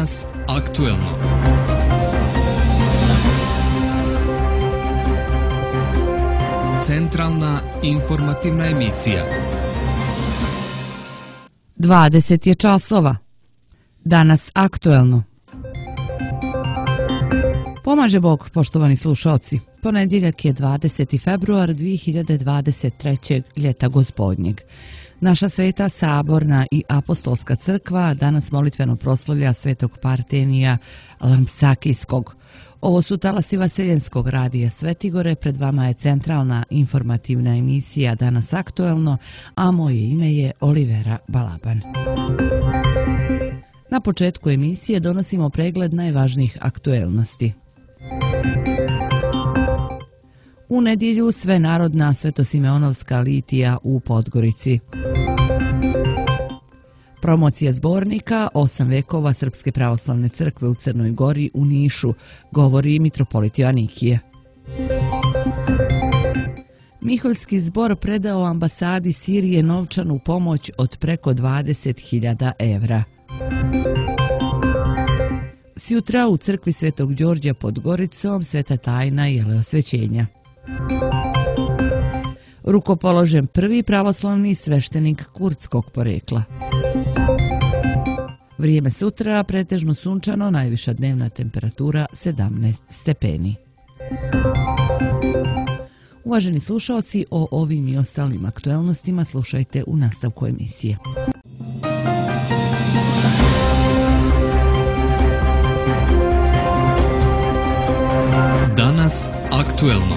Danas aktuelno. Centralna informativna emisija. 20 je časova. Danas aktuelno. Pomaže Bog, poštovani slušalci. Ponedjeljak je 20. februar 2023. ljeta gospodnjeg. Naša sveta saborna i apostolska crkva danas molitveno proslavlja svetog Partenija Lampsakijskog. Ovo su talasi Vaseljenskog radija Svetigore, pred vama je centralna informativna emisija Danas aktuelno, a moje ime je Olivera Balaban. Na početku emisije donosimo pregled najvažnijih aktuelnosti. U nedjelju svenarodna Svetosimeonovska litija u Podgorici. Promocija zbornika 8 vekova Srpske pravoslavne crkve u Crnoj Gori u Nišu, govori mitropolit Joanikije. Miholjski zbor predao ambasadi Sirije novčanu pomoć od preko 20.000 evra. Sjutra u crkvi Svetog Đorđa pod Goricom sveta tajna jeleosvećenja. Rukopoložen prvi pravoslavni sveštenik kurdskog porekla. Vrijeme sutra pretežno sunčano, najviša dnevna temperatura 17 stepeni. Uvaženi slušalci, o ovim i ostalim aktuelnostima slušajte u nastavku emisije. Danas aktuelno.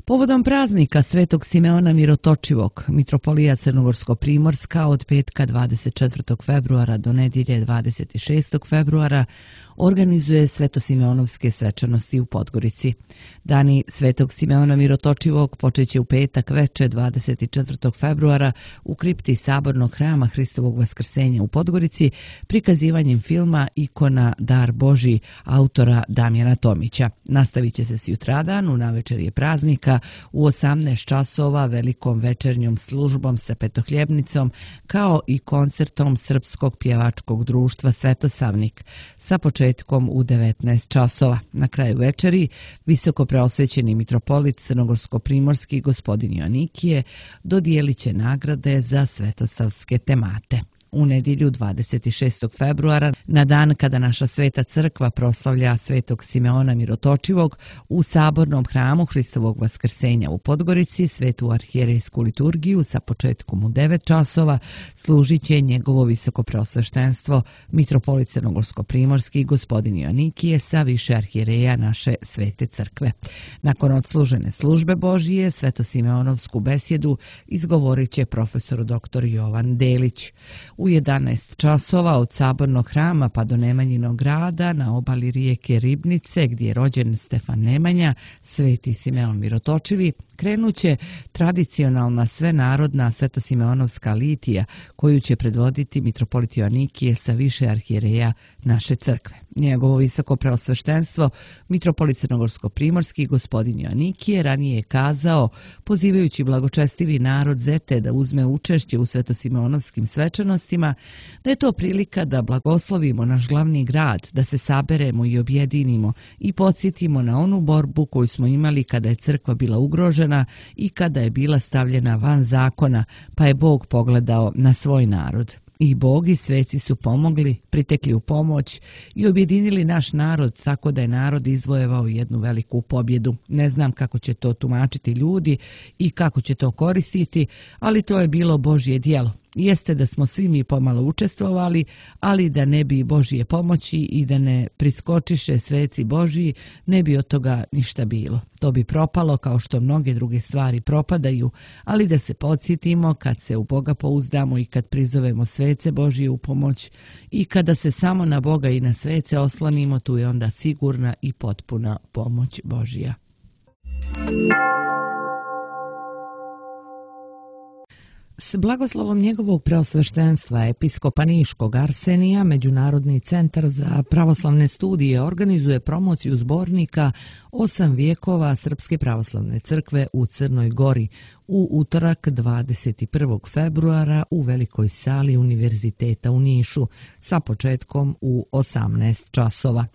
Povodom praznika Svetog Simeona Mirotočivog, mitropolija Crnogorsko-Primorska od petka 24. februara do nedjelje 26. februara organizuje Svetosimeonovske svečanosti u Podgorici. Dani Svetog Simeona Mirotočivog počeće u petak veče 24. februara u kripti Sabornog hrama Hristovog Vaskrsenja u Podgorici prikazivanjem filma Ikona Dar Božji autora Damjana Tomića. Nastavit će se sutradan u navečerje praznika u 18 časova velikom večernjom službom sa petohljebnicom kao i koncertom Srpskog pjevačkog društva Svetosavnik sa početkom u 19 časova. Na kraju večeri visoko preosvećeni mitropolit Crnogorsko-Primorski gospodin Joanikije dodijelit će nagrade za svetosavske temate. U nedjelju 26. februara, na dan kada naša sveta crkva proslavlja Svetog Simeona Mirotočivog, u Sabornom hramu Hristovog Vaskrsenja u Podgorici svetu arhijerejsku liturgiju sa početkom u 9 časova služit će njegovo visoko preosveštenstvo mitropolit Crnogorsko-Primorski gospodin Joanikije sa više arhijereja naše svete crkve. Nakon odslužene službe Božije, Svetosimeonovsku besjedu izgovorit će profesor dr. Jovan Delić. U 11 časova od Sabornog hrama pa do Nemanjinog grada na obali rijeke Ribnice, gdje je rođen Stefan Nemanja, Sveti Simeon Mirotočivi, krenuće tradicionalna svenarodna Svetosimeonovska litija koju će predvoditi mitropolit Joanikije sa više arhijereja naše crkve. Njegovo visoko preosveštenstvo, mitropolit Crnogorsko-Primorski gospodin Joanikije, ranije je kazao, pozivajući blagočestivi narod Zete da uzme učešće u Svetosimeonovskim svečanostima, da je to prilika da blagoslovimo naš glavni grad, da se saberemo i objedinimo i podsjetimo na onu borbu koju smo imali kada je crkva bila ugrožena i kada je bila stavljena van zakona, pa je Bog pogledao na svoj narod. I Bog i sveci su pomogli, pritekli u pomoć i objedinili naš narod tako da je narod izvojevao jednu veliku pobjedu. Ne znam kako će to tumačiti ljudi i kako će to koristiti, ali to je bilo Božje djelo. Jeste da smo svi mi pomalo učestvovali, ali da ne bi Božje pomoći i da ne priskočiše sveci Božji, ne bi od toga ništa bilo. To bi propalo kao što mnoge druge stvari propadaju, ali da se podsjetimo kad se u Boga pouzdamo i kad prizovemo svece Božje u pomoć i kada se samo na Boga i na svece oslonimo, tu je onda sigurna i potpuna pomoć Božja. S blagoslovom njegovog preosveštenstva episkopa Niškog Arsenija, Međunarodni centar za pravoslavne studije organizuje promociju zbornika 8 vijekova Srpske pravoslavne crkve u Crnoj Gori u utorak 21. februara u Velikoj sali Univerziteta u Nišu sa početkom u 18 časova.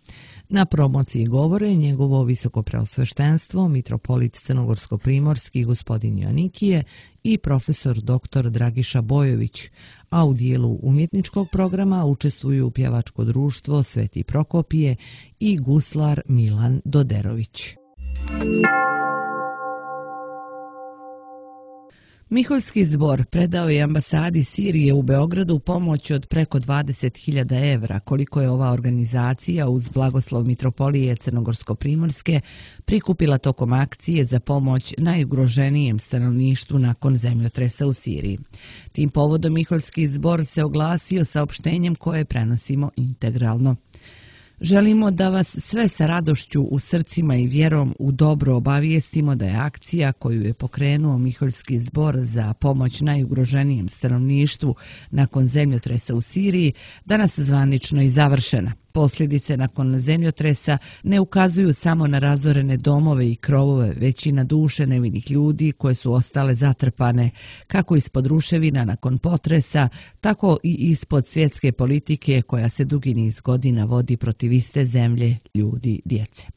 Na promociji govore njegovo visokopreosveštenstvo, mitropolit crnogorsko-primorski gospodin Joanikije i profesor dr. Dragiša Bojović, a u dijelu umjetničkog programa učestvuju pjevačko društvo Sveti Prokopije i guslar Milan Doderović. Miholjski zbor predao je ambasadi Sirije u Beogradu pomoć od preko 20.000 evra, koliko je ova organizacija uz blagoslov mitropolije Crnogorsko-primorske prikupila tokom akcije za pomoć najugroženijem stanovništvu nakon zemljotresa u Siriji. Tim povodom Miholjski zbor se oglasio saopštenjem koje prenosimo integralno. Želimo da vas sve sa radošću u srcima i vjerom u dobro obavijestimo da je akcija koju je pokrenuo Miholjski zbor za pomoć najugroženijem stanovništvu nakon zemljotresa u Siriji danas zvanično i završena. Posljedice nakon zemljotresa ne ukazuju samo na razorene domove i krovove, već i na duše nevinih ljudi koje su ostale zatrpane, kako ispod ruševina nakon potresa, tako i ispod svjetske politike koja se dugi niz godina vodi protiv iste zemlje, ljudi, djece.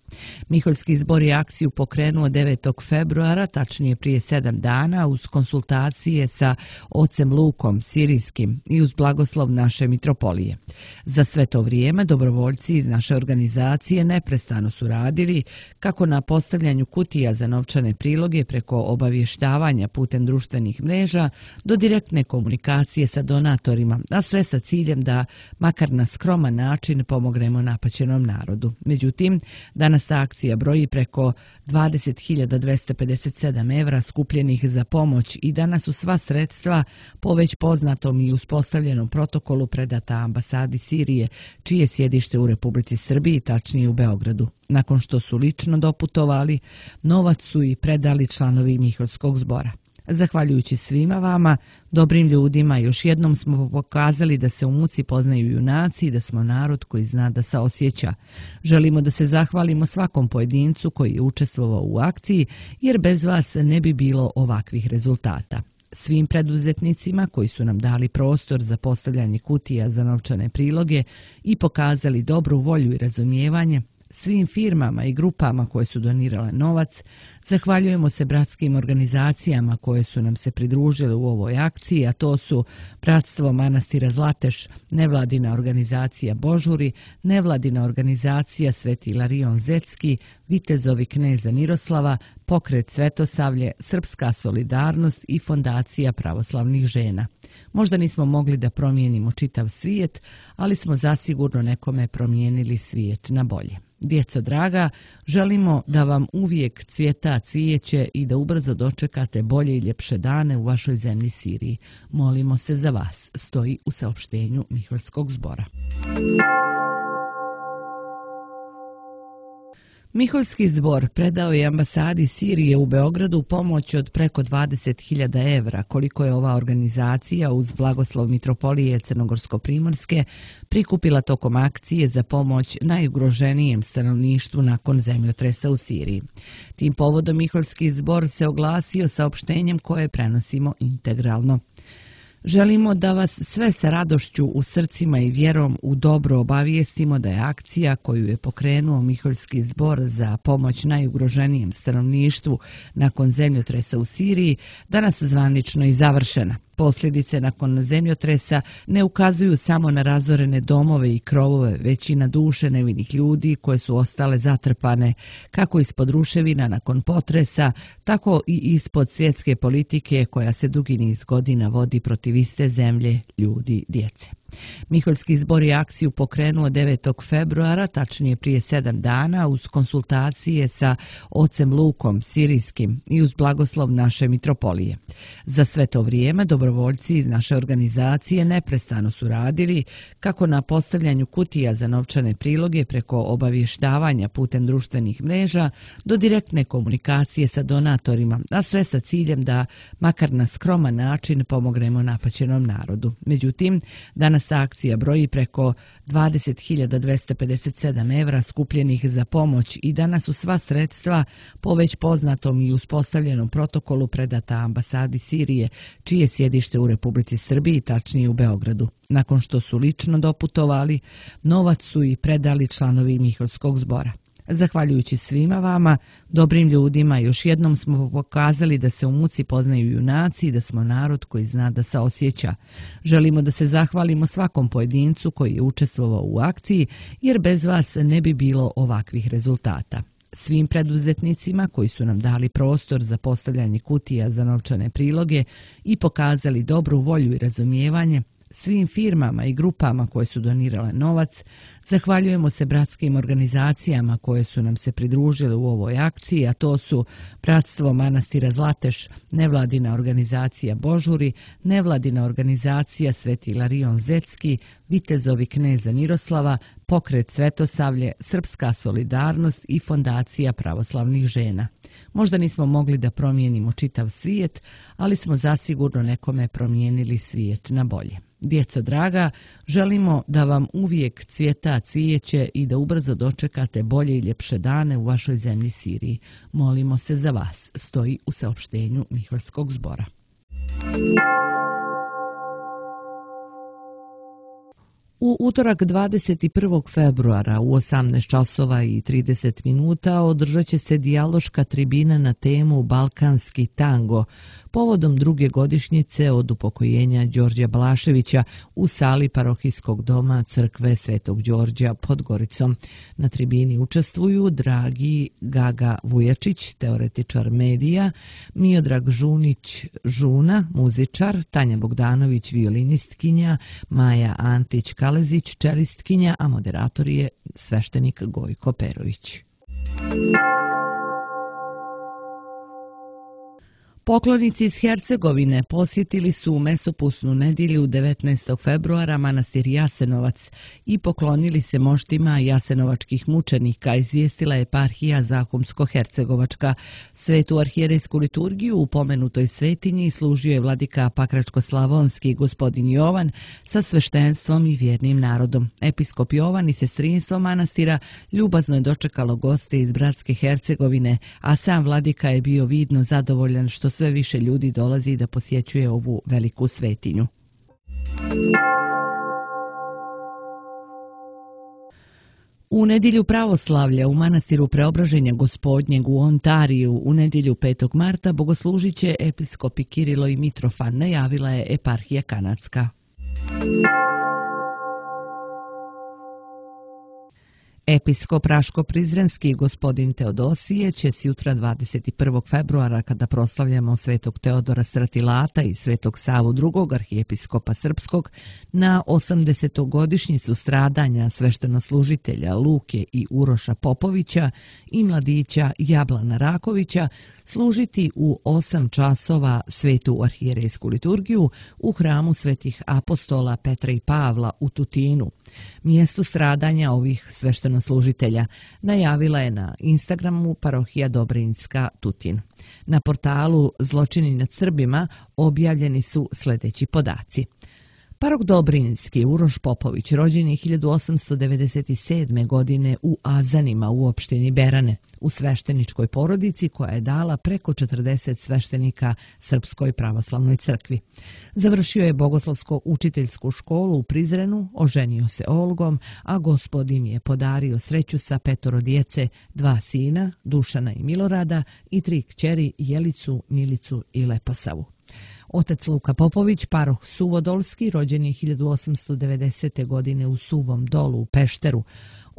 Miholjski zbor je akciju pokrenuo 9. februara, tačnije prije 7 dana, uz konsultacije sa ocem Lukom Sirijskim i uz blagoslov naše mitropolije. Za sve to vrijeme dobrovoljci iz naše organizacije neprestano su radili kako na postavljanju kutija za novčane priloge preko obavještavanja putem društvenih mreža do direktne komunikacije sa donatorima, a sve sa ciljem da makar na skroman način pomognemo napaćenom narodu. Međutim, danas ta akcija broji preko 20.257 evra skupljenih za pomoć i danas su sva sredstva po već poznatom i uspostavljenom protokolu predata ambasadi Sirije, čije sjedište u Republici Srbiji, tačnije u Beogradu. Nakon što su lično doputovali, novac su i predali članovi Miholjskog zbora. Zahvaljujući svima vama, dobrim ljudima, još jednom smo pokazali da se u muci poznaju junaci i da smo narod koji zna da saosjeća. Želimo da se zahvalimo svakom pojedincu koji je učestvovao u akciji, jer bez vas ne bi bilo ovakvih rezultata. Svim preduzetnicima koji su nam dali prostor za postavljanje kutija za novčane priloge i pokazali dobru volju i razumijevanje, svim firmama i grupama koje su donirale novac, zahvaljujemo se bratskim organizacijama koje su nam se pridružile u ovoj akciji, a to su Bratstvo manastira Zlateš, nevladina organizacija Božuri, nevladina organizacija Sveti Ilarion Zetski, Vitezovi kneza Miroslava, Pokret Svetosavlje, Srpska solidarnost i Fondacija pravoslavnih žena. Možda nismo mogli da promijenimo čitav svijet, ali smo zasigurno nekome promijenili svijet na bolje. Djeco draga, želimo da vam uvijek cvjeta cvijeće i da ubrzo dočekate bolje i ljepše dane u vašoj zemlji Siriji. Molimo se za vas, stoji u saopštenju Miholjskog zbora. Miholjski zbor predao je ambasadi Sirije u Beogradu pomoć od preko 20.000 evra, koliko je ova organizacija uz blagoslov mitropolije Crnogorsko-primorske prikupila tokom akcije za pomoć najugroženijem stanovništvu nakon zemljotresa u Siriji. Tim povodom Miholjski zbor se oglasio saopštenjem koje prenosimo integralno. Želimo da vas sve sa radošću u srcima i vjerom u dobro obavijestimo da je akcija koju je pokrenuo Miholjski zbor za pomoć najugroženijem stanovništvu nakon zemljotresa u Siriji danas zvanično i završena. Posljedice nakon zemljotresa ne ukazuju samo na razorene domove i krovove, već i na duše nevinih ljudi koje su ostale zatrpane, kako ispod ruševina nakon potresa, tako i ispod svjetske politike koja se dugi niz godina vodi protiv iste zemlje, ljudi, djece. Miholjski zbor je akciju pokrenuo 9. februara, tačnije prije 7 dana, uz konsultacije sa ocem Lukom Sirijskim i uz blagoslov naše mitropolije. Za sve to vrijeme dobrovoljci iz naše organizacije neprestano su radili kako na postavljanju kutija za novčane priloge preko obavještavanja putem društvenih mreža do direktne komunikacije sa donatorima, a sve sa ciljem da makar na skroman način pomognemo napaćenom narodu. Međutim, danas ta akcija broji preko 20.257 evra skupljenih za pomoć i danas su sva sredstva po već poznatom i uspostavljenom protokolu predata ambasadi Sirije, čije sjedište u Republici Srbiji, tačnije u Beogradu. Nakon što su lično doputovali, novac su i predali članovi Miholjskog zbora. Zahvaljujući svima vama, dobrim ljudima, još jednom smo pokazali da se u muci poznaju junaci i da smo narod koji zna da saosjeća. Želimo da se zahvalimo svakom pojedincu koji je učestvovao u akciji, jer bez vas ne bi bilo ovakvih rezultata. Svim preduzetnicima koji su nam dali prostor za postavljanje kutija za novčane priloge i pokazali dobru volju i razumijevanje, svim firmama i grupama koje su donirale novac, zahvaljujemo se bratskim organizacijama koje su nam se pridružile u ovoj akciji, a to su Bratstvo manastira Zlateš, nevladina organizacija Božuri, nevladina organizacija Sveti Ilarion Zetski, Vitezovi kneza Miroslava, Pokret Svetosavlje, Srpska solidarnost i Fondacija pravoslavnih žena. Možda nismo mogli da promijenimo čitav svijet, ali smo zasigurno nekome promijenili svijet na bolje. Djeco draga, želimo da vam uvijek cvjeta cvijeće i da ubrzo dočekate bolje i ljepše dane u vašoj zemlji Siriji. Molimo se za vas, stoji u saopštenju Miholjskog zbora. U utorak 21. februara u 18 časova i 30 minuta održat će se dijaloška tribina na temu Balkanski tango povodom druge godišnjice od upokojenja Đorđa Balaševića u sali parohijskog doma crkve Svetog Đorđa pod Goricom. Na tribini učestvuju Dragi Gaga Vujačić, teoretičar medija, Miodrag Žunić Žuna, muzičar, Tanja Bogdanović, violinistkinja, Maja Antić Kalezić, čelistkinja, a moderator je sveštenik Gojko Perović. Poklonici iz Hercegovine posjetili su u Mesopusnu nedjelju 19. februara manastir Jasenovac i poklonili se moštima jasenovačkih mučenika, izvijestila je eparhija Zahumsko-hercegovačka. Svetu arhijerejsku liturgiju u pomenutoj svetinji služio je vladika Pakračko-slavonski gospodin Jovan sa sveštenstvom i vjernim narodom. Episkop Jovan i sestrinstvo manastira ljubazno je dočekalo goste iz bratske Hercegovine, a sam vladika je bio vidno zadovoljan što sve više ljudi dolazi da posjećuje ovu veliku svetinju. U nedjelju pravoslavlja u manastiru Preobraženja Gospodnjeg u Ontariju u nedjelju 5. marta bogoslužit će episkopi Kirilo i Mitrofan, najavila je eparhija kanadska. Episkop Raško-Prizrenski gospodin Teodosije će jutra 21. februara, kada proslavljamo svetog Teodora Stratilata i svetog Savu II. Arhijepiskopa Srpskog, na 80. godišnjicu stradanja sveštenoslužitelja Luke i Uroša Popovića i mladića Jablana Rakovića, služiti u 8 časova svetu arhijerejsku liturgiju u hramu svetih apostola Petra i Pavla u Tutinu, mjestu stradanja ovih sveštenoslužitelja, najavila je na Instagramu parohija Dobrinjska Tutin. Na portalu Zločini nad Srbima objavljeni su sljedeći podaci. Parok Dobrinjski Uroš Popović rođen je 1897. godine u Azanima u opštini Berane, u svešteničkoj porodici koja je dala preko 40 sveštenika Srpskoj pravoslavnoj crkvi. Završio je bogoslovsko-učiteljsku školu u Prizrenu, oženio se Olgom, a Gospod im je podario sreću sa 5 djece, 2 sina, Dušana i Milorada, i 3 kćeri, Jelicu, Milicu i Leposavu. Otac Luka Popović, paroh Suvodolski, rođen je 1890. godine u Suvom Dolu u Pešteru.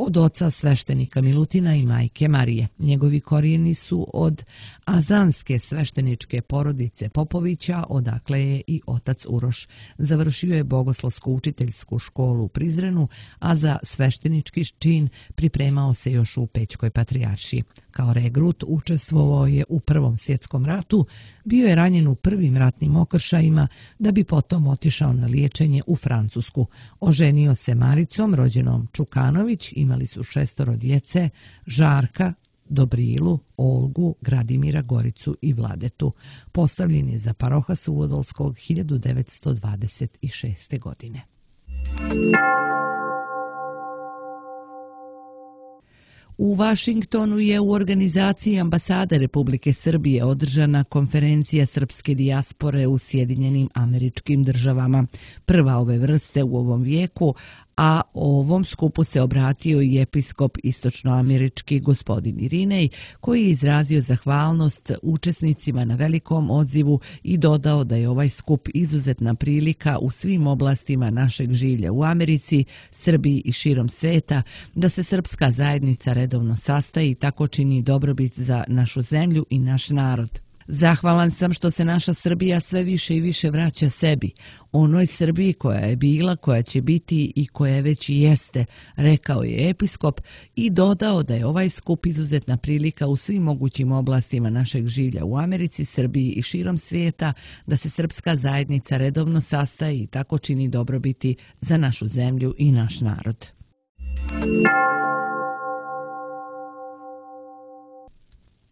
od oca sveštenika Milutina i majke Marije. Njegovi korijeni su od azanske svešteničke porodice Popovića, odakle je i otac Uroš. Završio je bogoslovsko-učiteljsku školu u Prizrenu, a za sveštenički čin pripremao se još u Pećkoj patrijaršiji. Kao regrut učestvovao je u Prvom svjetskom ratu, bio je ranjen u prvim ratnim okršajima, da bi potom otišao na liječenje u Francusku. Oženio se Maricom, rođenom Čukanović, imali su 6 djece, Žarka, Dobrilu, Olgu, Gradimira, Goricu i Vladetu. Postavljen je za paroha Suvodolskog 1926. godine. U Vašingtonu je u organizaciji ambasade Republike Srbije održana konferencija srpske dijaspore u Sjedinjenim Američkim Državama. Prva ove vrste u ovom vijeku, a ovom skupu se obratio i episkop istočnoamerički gospodin Irinej, koji je izrazio zahvalnost učesnicima na velikom odzivu i dodao da je ovaj skup izuzetna prilika u svim oblastima našeg življa u Americi, Srbiji i širom sveta, da se srpska zajednica redovno sastaje i tako čini dobrobit za našu zemlju i naš narod. Zahvalan sam što se naša Srbija sve više i više vraća sebi, onoj Srbiji koja je bila, koja će biti i koja već i jeste, rekao je episkop i dodao da je ovaj skup izuzetna prilika u svim mogućim oblastima našeg življa u Americi, Srbiji i širom svijeta, da se srpska zajednica redovno sastaje i tako čini dobrobiti za našu zemlju i naš narod.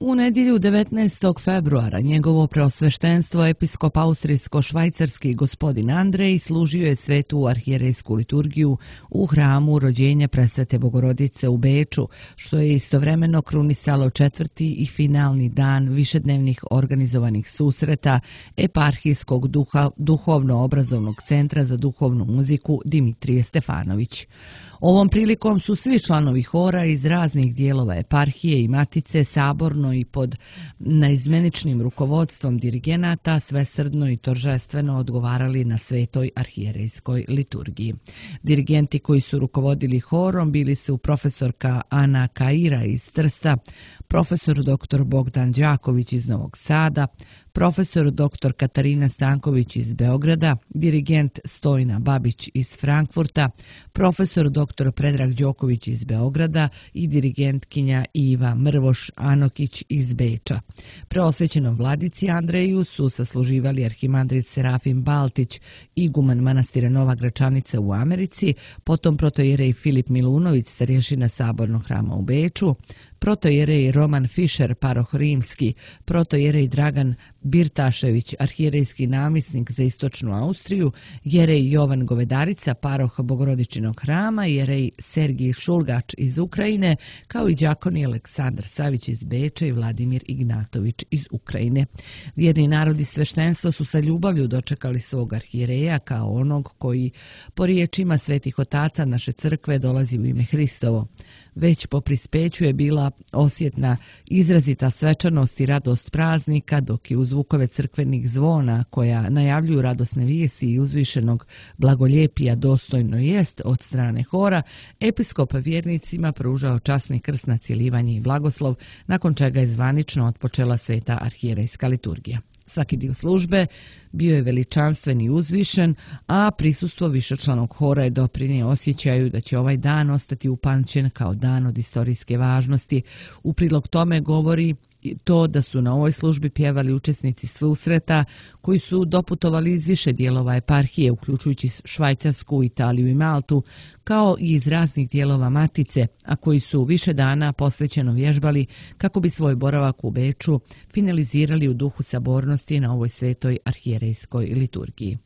U nedjelju 19. februara njegovo preosveštenstvo episkop austrijsko-švajcarski gospodin Andrej služio je svetu arhijerejsku liturgiju u hramu rođenja presvete Bogorodice u Beču, što je istovremeno krunisalo 4. i finalni dan višednevnih organizovanih susreta eparhijskog duhovno-obrazovnog centra za duhovnu muziku Dimitrije Stefanović. Ovom prilikom su svi članovi hora iz raznih dijelova eparhije i matice saborno i pod naizmeničnim rukovodstvom dirigenata svesrdno i toržestveno odgovarali na svetoj arhijerejskoj liturgiji. Dirigenti koji su rukovodili horom bili su profesorka Ana Kaira iz Trsta, profesor dr. Bogdan Đaković iz Novog Sada, profesor dr. Katarina Stanković iz Beograda, dirigent Stojna Babić iz Frankfurta, profesor dr. Predrag Đoković iz Beograda i dirigentkinja Iva Mrvoš Anokić iz Beča. Preosvećenom vladici Andreju su sasluživali arhimandrit Serafim Baltić, iguman manastira Nova Gračanica u Americi, potom protojerej Filip Milunović, starješina Sabornog hrama u Beču, protojerej Roman Fišer, paroh rimski, protojerej Dragan Birtašević, arhijerejski namisnik za istočnu Austriju, jerej Jovan Govedarica, paroh Bogorodičinog hrama, jerej Sergij Šulgač iz Ukrajine, kao i đakoni Aleksandar Savić iz Beča i Vladimir Ignatović iz Ukrajine. Vjerni narodi sveštenstva su sa ljubavlju dočekali svog arhijereja kao onog koji, po riječima svetih otaca naše crkve, dolazi u ime Hristovo. Već po prispeću je bila osjetna izrazita svečanost i radost praznika, dok je u zvukove crkvenih zvona koja najavljuju radosne vijesti i uzvišenog blagoljepija dostojno jest od strane hora, episkop vjernicima pružao časni krst na cjelivanje i blagoslov, nakon čega je zvanično otpočela sveta arhijerejska liturgija. Svaki dio službe bio je veličanstven i uzvišen, a prisustvo višečlanog hora je doprinio osjećaju da će ovaj dan ostati upamćen kao dan od istorijske važnosti. U prilog tome govori to da su na ovoj službi pjevali učesnici susreta koji su doputovali iz više dijelova eparhije, uključujući Švajcarsku, Italiju i Maltu, kao i iz raznih dijelova matice, a koji su više dana posvećeno vježbali kako bi svoj boravak u Beču finalizirali u duhu sabornosti na ovoj svetoj arhijerejskoj liturgiji.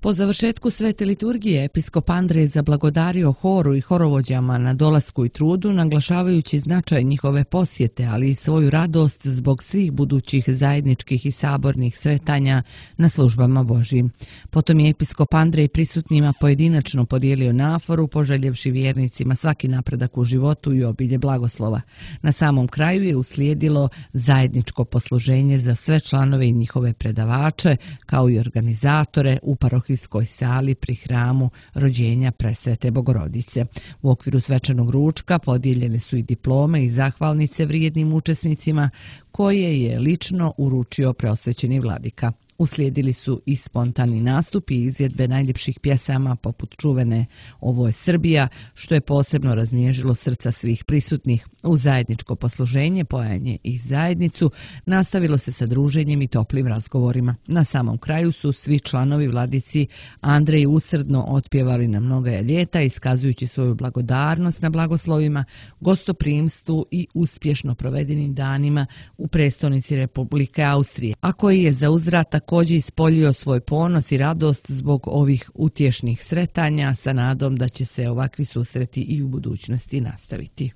Po završetku svete liturgije episkop Andrej zablagodario horu i horovođama na dolasku i trudu, naglašavajući značaj njihove posjete, ali i svoju radost zbog svih budućih zajedničkih i sabornih sretanja na službama Božjim. Potom je episkop Andrej prisutnima pojedinačno podijelio naforu, poželjevši vjernicima svaki napredak u životu i obilje blagoslova. Na samom kraju je uslijedilo zajedničko posluženje za sve članove i njihove predavače, kao i organizatore u parohiji Parokijskoj sali pri hramu rođenja Presvete Bogorodice. U okviru svečanog ručka podijeljene su i diplome i zahvalnice vrijednim učesnicima koje je lično uručio preosvećeni vladika. Uslijedili su i spontani nastupi i izvedbe najljepših pjesama poput čuvene Ovo je Srbija, što je posebno raznježilo srca svih prisutnih. U zajedničko posluženje, pojanje i zajednicu nastavilo se sa druženjem i toplim razgovorima. Na samom kraju su svi članovi vladici Andrej usrdno otpjevali na mnoga ljeta, iskazujući svoju blagodarnost na blagoslovima, gostoprimstvu i uspješno provedenim danima u prestonici Republike Austrije, a koji je za uzvrat također ispoljio svoj ponos i radost zbog ovih utješnih sretanja sa nadom da će se ovakvi susreti i u budućnosti nastaviti.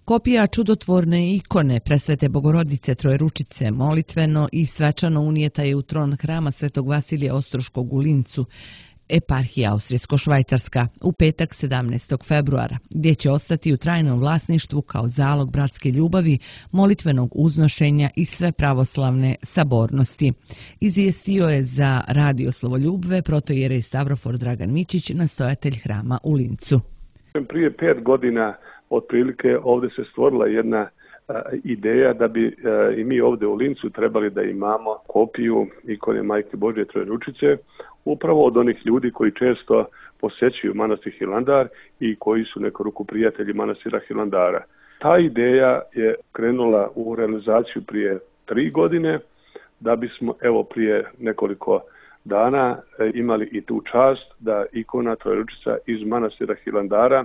Kopija čudotvorne ikone Presvete Bogorodice Trojeručice molitveno i svečano unijeta je u tron hrama Svetog Vasilija Ostroškog u Lincu, eparhija Austrijsko-Švajcarska, u petak 17. februara, gdje će ostati u trajnom vlasništvu kao zalog bratske ljubavi, molitvenog uznošenja i sve pravoslavne sabornosti. Izvijestio je za Radio Slovoljubve protoijerej Stavrofor Dragan Mičić, nastojatelj hrama u Lincu. Prije 5 godina otprilike ovdje se stvorila jedna ideja da bi i mi ovdje u Lincu trebali da imamo kopiju ikone Majke Božje Trojeručice, upravo od onih ljudi koji često posjećuju manastir Hilandar i koji su neku ruku prijatelji manastira Hilandara. Ta ideja je krenula u realizaciju prije 3 godine, da bismo evo prije nekoliko dana imali i tu čast da ikona Trojeručica iz manastira Hilandara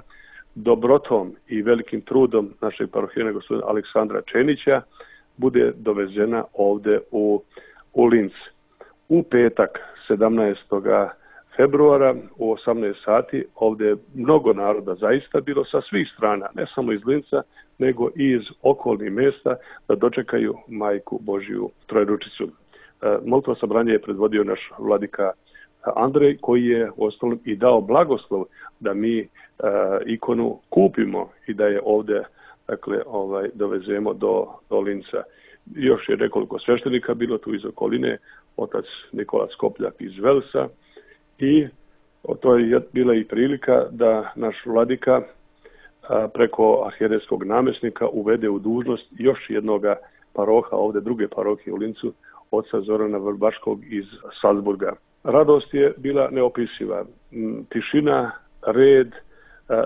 dobrotom i velikim trudom našeg parohijana gospodina Aleksandra Čenića bude dovezena ovdje u Linz. U petak 17. februara u 18 sati ovdje je mnogo naroda zaista bilo sa svih strana, ne samo iz Linca, nego i iz okolnih mjesta da dočekaju Majku Božju Trojeručicu. Molitva sabranje je predvodio naš vladika Andrej, koji je uostalom i dao blagoslov da mi ikonu kupimo i da je ovdje dovezemo do Linca. Još je nekoliko sveštenika bilo tu iz okoline, otac Nikola Skopljak iz Velsa, i to je bila i prilika da naš vladika preko arhijerejskog namjesnika uvede u dužnost još jednoga paroha, ovdje druge parohije u Lincu, oca Zorana Vrbaškog iz Salzburga. Radost je bila neopisiva. Tišina, red,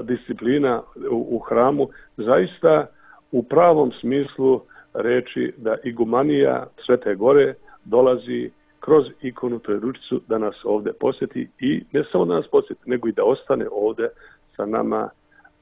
disciplina u hramu, zaista u pravom smislu reči da igumanija Svete Gore dolazi kroz ikonu Trojeručicu da nas ovdje posjeti i ne samo da nas posjeti, nego i da ostane ovdje sa nama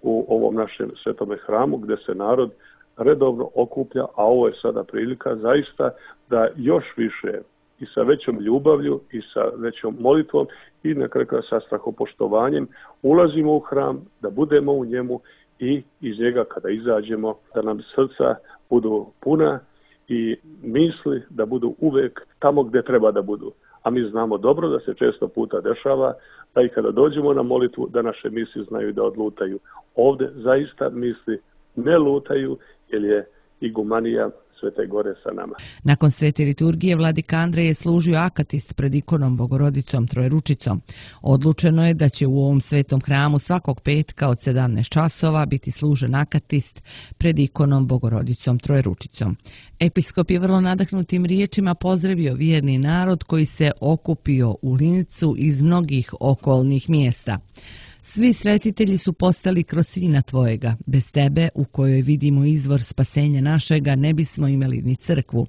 u ovom našem svetome hramu gdje se narod redovno okuplja, a ovo je sada prilika zaista da još više i sa većom ljubavlju i sa većom molitvom i na kraju sa strahopoštovanjem ulazimo u hram, da budemo u njemu i iz njega kada izađemo da nam srca budu puna i misli da budu uvijek tamo gdje treba da budu. A mi znamo dobro da se često puta dešava da i kada dođemo na molitvu da naše misli znaju da odlutaju. Ovdje zaista misli ne lutaju jer je igumanija Svete Gore sa nama. Nakon svete liturgije vladika Andrej je služio akatist pred ikonom Bogorodicom Trojeručicom. Odlučeno je da će u ovom svetom hramu svakog petka od 17 časova biti služen akatist pred ikonom Bogorodicom Trojeručicom. Episkop je vrlo nadahnutim riječima pozdravio vjerni narod koji se okupio u Lincu iz mnogih okolnih mjesta. Svi svetitelji su postali kroz Sina Tvojega. Bez Tebe, u kojoj vidimo izvor spasenja našega, ne bismo imali ni crkvu.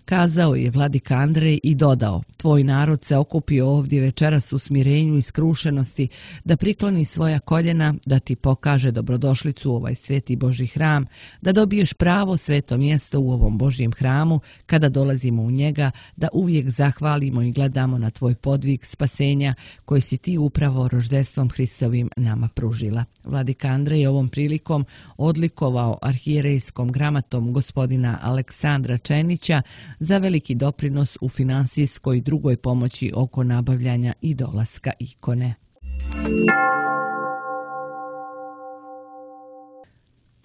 Kazao je vladika Andrej i dodao: Tvoj narod se okupio ovdje večeras u smirenju i skrušenosti, da prikloni svoja koljena, da ti pokaže dobrodošlicu u ovaj sveti Božji hram, da dobiješ pravo sveto mjesto u ovom Božjem hramu, kada dolazimo u njega, da uvijek zahvalimo i gledamo na tvoj podvig spasenja koji si ti upravo roždestvom Hristovim nama pružila. Vladika Andrej je ovom prilikom odlikovao arhijerejskom gramatom gospodina Aleksandra Čenića za veliki doprinos u finansijskoj i drugoj pomoći oko nabavljanja i dolaska ikone.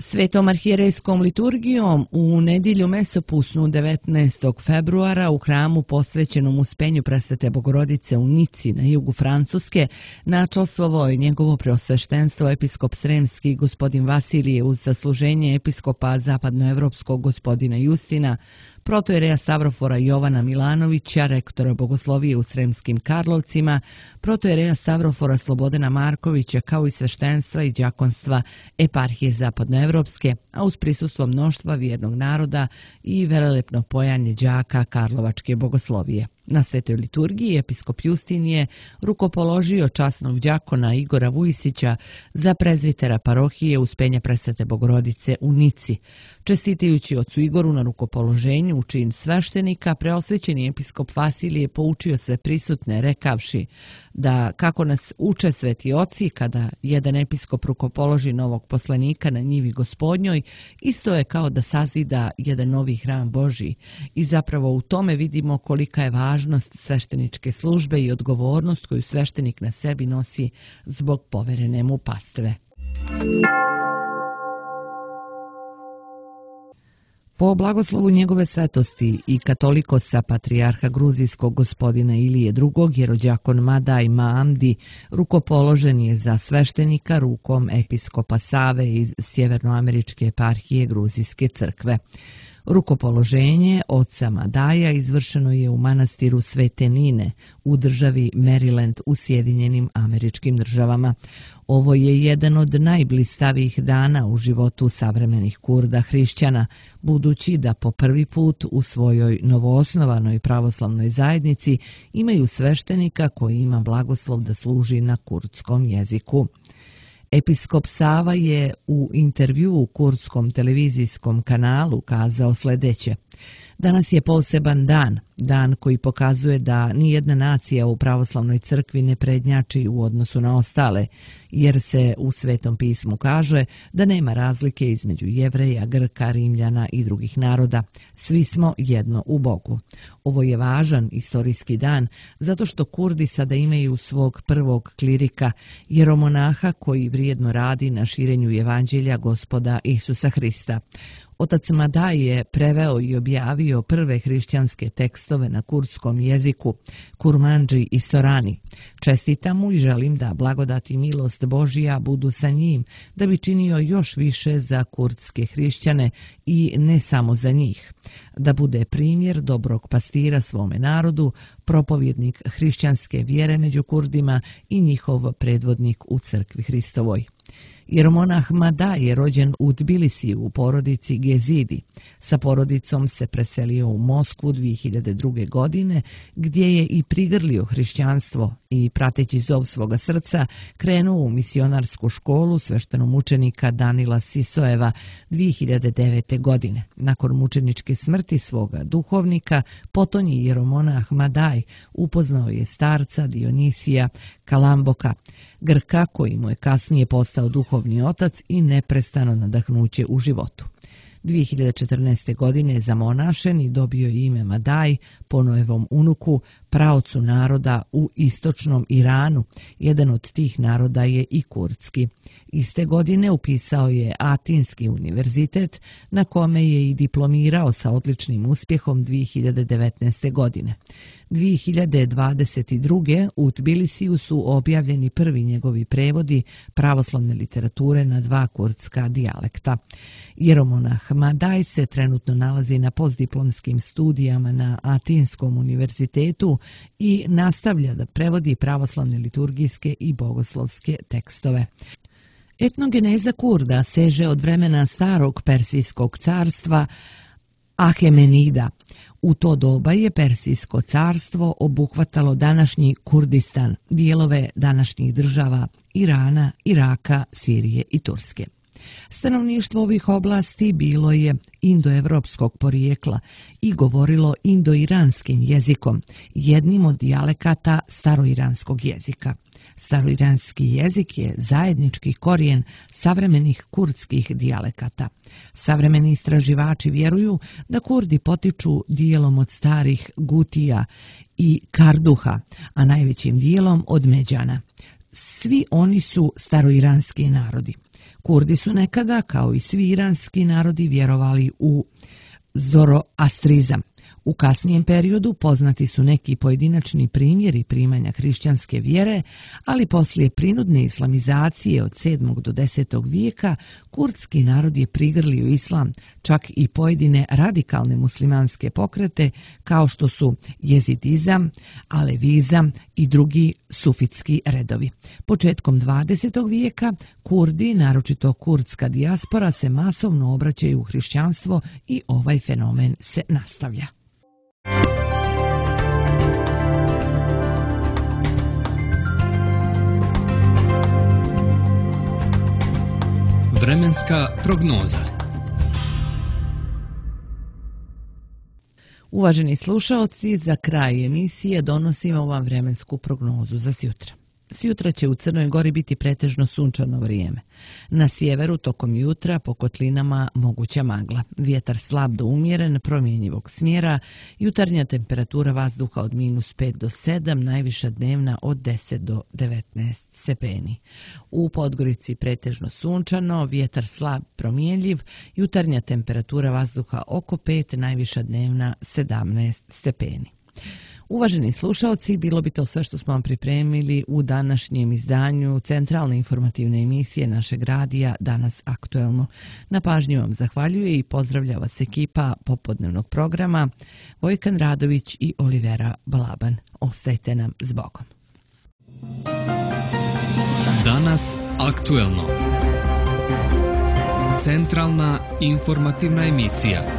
Svetom arhijerejskom liturgijom u nedjelju mesopusnu 19. februara u hramu posvećenom Uspenju Presvete Bogorodice u Nici na jugu Francuske načalstvovao je njegovo preosveštenstvo episkop Sremski gospodin Vasilije uz zasluženje episkopa zapadnoevropskog gospodina Justina, protojereja Stavrofora Jovana Milanovića, rektora bogoslovije u Sremskim Karlovcima, protojereja Stavrofora Slobodana Markovića, kao i sveštenstva i đakonstva eparhije zapadnoevropske, a uz prisustvo mnoštva vjernog naroda i velelepno pojanje đaka Karlovačke bogoslovije. Na svetoj liturgiji episkop Justin je rukopoložio časnog đakona Igora Vujisića za prezvitera parohije Uspenja Presvete Bogorodice u Nici. Čestitajući ocu Igoru na rukopoloženju u čin sveštenika, preosvećeni episkop Vasilije poučio sve prisutne rekavši da, kako nas uče sveti oci, kada jedan episkop rukopoloži novog poslanika na njivi gospodnjoj, isto je kao da sazida jedan novi hram Božji. I zapravo u tome vidimo kolika je važnost svešteničke službe i odgovornost koju sveštenik na sebi nosi zbog poverene mu pastve. Po blagoslovu njegove svetosti i katolikosa patrijarha gruzijskog gospodina Ilije II, jerođakon Madaj Maamdi rukopoložen je za sveštenika rukom episkopa Save iz Sjevernoameričke eparhije Gruzijske crkve. Rukopoloženje oca Madaja izvršeno je u manastiru Svete Nine u državi Maryland u Sjedinjenim Američkim Državama. Ovo je jedan od najblistavijih dana u životu savremenih Kurda hrišćana, budući da po prvi put u svojoj novoosnovanoj pravoslavnoj zajednici imaju sveštenika koji ima blagoslov da služi na kurdskom jeziku. Episkop Sava je u intervjuu u kurdskom televizijskom kanalu kazao sljedeće: danas je poseban dan, dan koji pokazuje da nijedna nacija u pravoslavnoj crkvi ne prednjači u odnosu na ostale, jer se u Svetom pismu kaže da nema razlike između Jevreja, Grka, Rimljana i drugih naroda. Svi smo jedno u Bogu. Ovo je važan istorijski dan zato što Kurdi sada imaju svog prvog klirika, jeromonaha koji vrijedno radi na širenju evanđelja Gospoda Isusa Hrista. Otac Madaj je preveo i objavio prve hrišćanske tekstove na kurdskom jeziku, Kurmandži i Sorani. Čestitam mu i želim da blagodat i milost Božija budu sa njim, da bi činio još više za kurdske hrišćane i ne samo za njih. Da bude primjer dobrog pastira svome narodu, propovjednik hrišćanske vjere među Kurdima i njihov predvodnik u crkvi Hristovoj. Jeromonah Madaj je rođen u Tbilisiju u porodici Gezidi. Sa porodicom se preselio u Moskvu 2002. godine, gdje je i prigrlio hrišćanstvo i, prateći zov svoga srca, krenuo u misionarsku školu sveštenomučenika Danila Sisoeva 2009. godine. Nakon mučeničke smrti svoga duhovnika, potonji jeromonah Madaj upoznao je starca Dionisija Kalamboka, Grka koji mu je kasnije postao duhovni otac i neprestano nadahnuće u životu. 2014. godine je zamonašen i dobio ime Madaj po Noevom unuku, praocu naroda u istočnom Iranu. Jedan od tih naroda je i kurdski. Iste godine upisao je Atinski univerzitet, na kome je i diplomirao sa odličnim uspjehom 2019. godine. 2022. u Tbilisiju su objavljeni prvi njegovi prevodi pravoslavne literature na 2 kurdska dijalekta. Jeromonah Madaj se trenutno nalazi na postdiplomskim studijama na Atinskom univerzitetu i nastavlja da prevodi pravoslavne liturgijske i bogoslovske tekstove. Etnogeneza Kurda seže od vremena starog Persijskog carstva Ahemenida. U to doba je Persijsko carstvo obuhvatalo današnji Kurdistan, dijelove današnjih država Irana, Iraka, Sirije i Turske. Stanovništvo ovih oblasti bilo je indoevropskog porijekla i govorilo indoiranskim jezikom, jednim od dijalekata staroiranskog jezika. Staroiranski jezik je zajednički korijen savremenih kurdskih dijalekata. Savremeni istraživači vjeruju da Kurdi potiču dijelom od starih Gutija i Karduha, a najvećim dijelom od Međana. Svi oni su staroiranski narodi. Kurdi su nekada, kao i svi iranski narodi, vjerovali u zoroastrizam. U kasnijem periodu poznati su neki pojedinačni primjeri primanja hrišćanske vjere, ali poslije prinudne islamizacije od 7. do 10. vijeka kurdski narod je prigrlio islam, čak i pojedine radikalne muslimanske pokrete kao što su jezidizam, alevizam i drugi sufitski redovi. Početkom 20. vijeka Kurdi, naročito kurdska dijaspora, se masovno obraćaju u hrišćanstvo i ovaj fenomen se nastavlja. Vremenska prognoza. Uvaženi slušaoci, za kraj emisije donosimo vam vremensku prognozu za sjutra. Sjutra će u Crnoj Gori biti pretežno sunčano vrijeme. Na sjeveru tokom jutra po kotlinama moguća magla. Vjetar slab do umjeren, promjenjivog smjera. Jutarnja temperatura vazduha od -5 do 7, najviša dnevna od 10 do 19 stepeni. U Podgorici pretežno sunčano, vjetar slab promjenjiv. Jutarnja temperatura vazduha oko 5, najviša dnevna 17 stepeni. Uvaženi slušalci, bilo bi to sve što smo vam pripremili u današnjem izdanju centralne informativne emisije našeg radija Danas aktuelno. Na pažnju vam zahvaljuje i pozdravlja vas ekipa popodnevnog programa Vojkan Radović i Olivera Balaban. Ostajte nam s Bogom. Danas aktuelno. Centralna informativna emisija.